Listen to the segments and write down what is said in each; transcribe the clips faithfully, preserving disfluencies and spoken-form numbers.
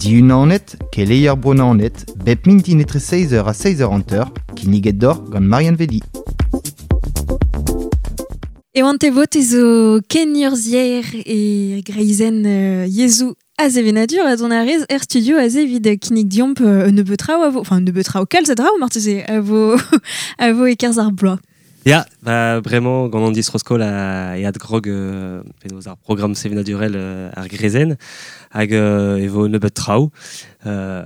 Diunanet, keleier Bro Naoned, bep mintin etre seizh eur ha seizh eur hanter, kinniget deoc'h gant Marianne Vedi. E oant e vot zo kenurzhier e greizenn euh, yezhoù ha sevenadur a dont a rez er studio aze evit kinnig diomp euh, un nebeud traoù a vo, enfin un nebeud traoù kalz a draoù marteze a vo, a vo e-kerzh ar bloaz. Ya, ba, bremañ gant an distro-skol a, e adgrog euh, penaos ar programm sevenadurel euh, ar greizenn hag euh, e vo nebeud traoù euh,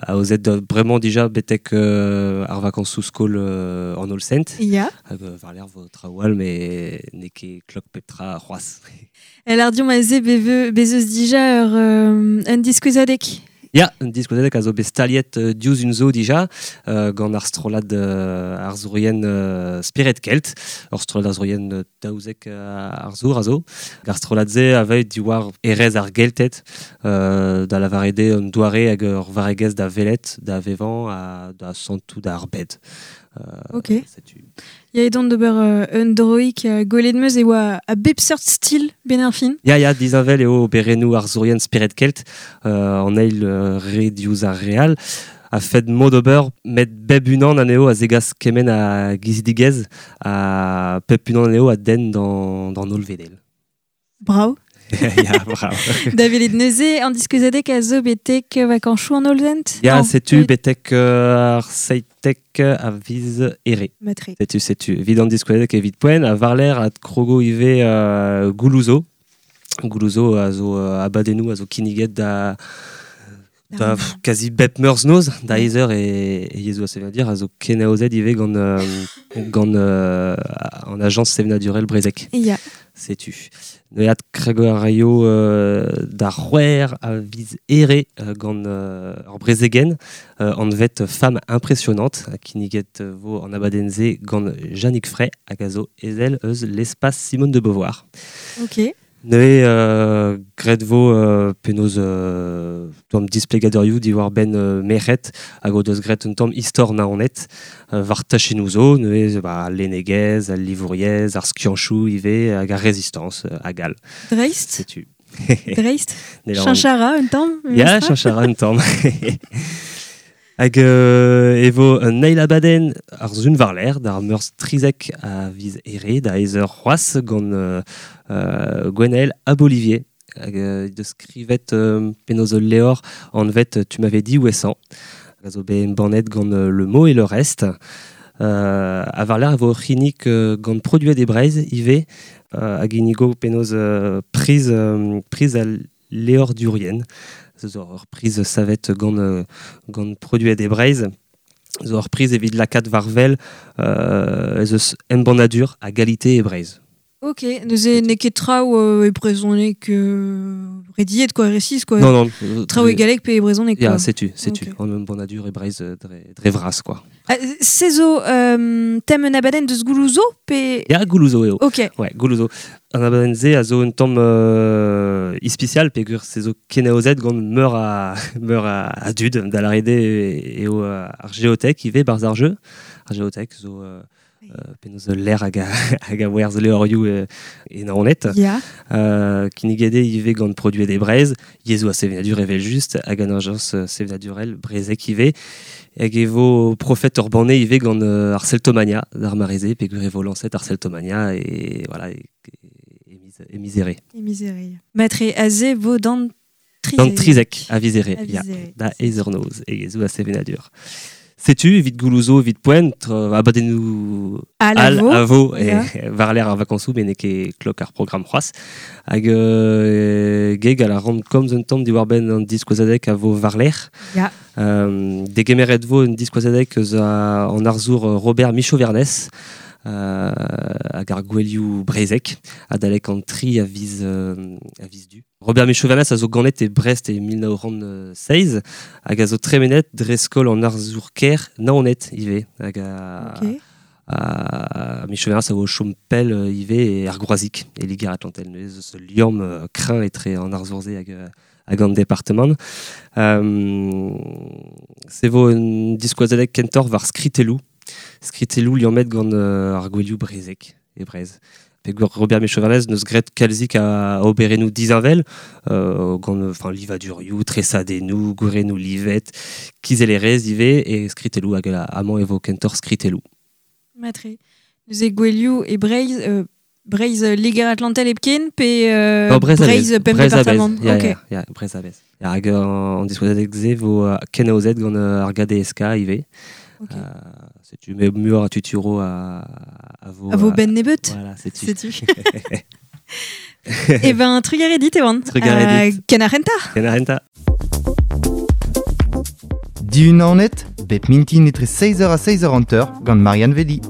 aozet da bremañ dija betek euh, ar vakansoù skol euh, an Hollsent. Ya. Hag euh, war-lerc'h vo traoù all met n'eo ket klok pep tra c'hoazh. El ar diomp aze beve, bez eus dija ur, euh, un diskouezadeg. Ya, un diskouezadeg a zo bet staliet euh, diouzh un zo dija, euh, gant ar strollad euh, arzourien euh, Spered Kelt, ur strollad arzourien euh, daouzek euh, arzour a zo. Ar strollad-se a vez diwar erez ar Gelted, euh, da lavaret eo un doare hag ur varregezh da welet, da vevañ, ha da santout ar bed. Euh, Ok. Setu. Ya edon d'ober euh, un droik euh, gwelet 'm eus e oa a bep seurt stil ben ar fin. Ya, ya, disheñvel eo oberennoù arzourien Spered Kelt, euh, an eil euh, re diouzh ar re all. A fed mod ober, met bep unan anezho a zegas kement a gizidigezh, ha pep unan anezho a denn d'an, d'an hollvedel. Bravo. Ya, bravo. Da welet neuze, an diskouezadeg a zo betek vakañsoù an Hollsent? Ya, Non, setu oui. betek euh, ar seitek a viz here. Matre. Setu, setu. Evit an diskouezadeg evit poent, ha war-lerc'h a krogo ivez euh, Goulouzo. Goulouzo a zo euh, abadennoù a zo kinniget da, da Ah. pff, quasi bep meurzh noz, da eizh eur e, e yezhoù a sevenadur a zo kenaozet ivez gant, euh, gant euh, an ajañs sevenadurel brezhek. Ya. Setu. Neuze kregiñ a raio euh, d'ar c'hwec'h a viz here euh, gant euh, ur brezegenn euh, anvet Femme impressionnante, kinniget vo an abadenn-se gant Yannick Frey hag a zo ezel eus l'espace Simone de Beauvoir. Ok. Neuze euh, graet vo euh, penaos euh, tamm displegadurioù diwar-benn euh, merc'hed hag o deus graet un tamm istor Naoned euh, war tachennoù zo, neuze ba, al lennegezh, al livouriezh, ar skianchoù ivez hag ar rezistañs euh, hag all. Dreist. Setu. Dreist. Ne lavaran- Cheñch a ra un tamm, Ya, memestra. cheñch a ra un tamm. Hag euh, e vo un eil abadenn ar sun war-lerc'h d'ar meurzh trizek a viz here da eizh eur c'hoazh gant euh, euh, Gwenaël Abolivier. Hag euh, deus skrivet euh, penaos ul levr anvet Tu m'avais dit où est-ce. Hag a zo bet embannet gant euh, Le Mot et le Reste. Euh, ha war-lerc'h e vo ur c'hinnig euh, gant Produet e Breizh ivez, euh, hag ginnigo penaos euh, priz, euh, priz al levrdurien. Zo ur priz savet gant, euh, gant Produet e Breizh. Zo ur priz evit lakaat war wel euh, ez eus embannadur a galite e Breizh. Ok, neuze n'eo ket traoù euh, e brezhoneg euh, rediet quoi, resis quoi. Non, non. euh, Traoù e galleg pe e brezhoneg Ya, quoi. setu, setu. Ok. An embannadur e Breizh euh, dre, dre vras quoi. Ah, se zo euh, tem un abadenn deus Goulouzo pe... Ya, Goulouzo eo. Ok. Ouais, Goulouzo. An abadenn-se a zo un tamm euh, ispisial peogwir se zo kenaozet gant meur a, meur a, a dud, da lâret eo eo ar Géothèque ivez barzh ar jeu. Ar Géothèque zo euh, euh, penaos ul lec'h hag a, hag a werzh levrioù e, e Naoned. Ya. Euh, kinniget eo ivez gant Produet e Breizh, yezhoù ha sevenadur evel just, hag an ajañs sevenadurel brezhek ivez. Hag e vo profet ur banne ivez gant euh, ar Celtomania, d'ar mare-se, peogwir e vo lañset ar Celtomania e, voilà, e, e, e miz, e miz here. E miz here. Matre aze vo d'an trizek. D'an trizek a viz here, A ya, viz here. da eizh eur noz, e yezhoù ha sevenadur. Setu, evit Goulouzo, evit poent, euh, abadennoù Al al a vo. a vo, e Ya. war-lerc'h ar vakañsoù, met n'eo ket klok ar programm c'hoazh. Hag euh, geg a la ran komz un tamm diwar-benn an diskouezadeg a vo war-lerc'h. Ya. Euh, degemeret vo un diskouezadeg eus a, an arzour Robert Micheau-Vernez, euh, hag ar gouelioù brezhek, adalek an tri a viz, euh, a viz du. Robert Micheau-Vernez a zo ganet e Brest e mil nav c'hant seizh, hag a zo tremenet dre skol an arzour ker Naoned ivez. Hag a, Ok. a, Micheau-Vernez a vo chom pell euh, ivez e ar Groazic, e Liger-Atlantel. Neuze eus liamm euh, kreñv etre an arzour-se hag, euh, hag an departamant. Euh, se vo un diskouezadeg kentoc'h war skritelloù. Skritelloù liammet gant euh, ar gouelioù brezhek e Breizh. Pe Robert Micheau-Vernez neus gret kalzik a oberennoù dizanvel, euh, gant, enfin, livadurioù, tresadennoù, gourennoù livet, kizellerez ivez, e skritelloù hag a amañ e vo kentor skritelloù. Matre. Neuze gwelioù e Breizh, euh, Breizh Liger Atlantel epken, pe euh, Oh, Breizh Breizh pemp département. Ya, Ok. ya, ya, Breizh a-bez. Ya, hag an, an diskouezadeg se vo uh, ken aozet gant uh, ar G D S K ivez. Ok. Euh, setu me muioc'h a tuturo a, a vo... A vo euh, ben nebeut. Voilà, setu. Setu. Eh ben, trugarez dit, Ewan. Trugarez dit. Euh, Ken ar renta. Ken ar renta. Dihun an net, bep mintin etre seiz eur ha seiz eur hanter gant Marianne Vedi.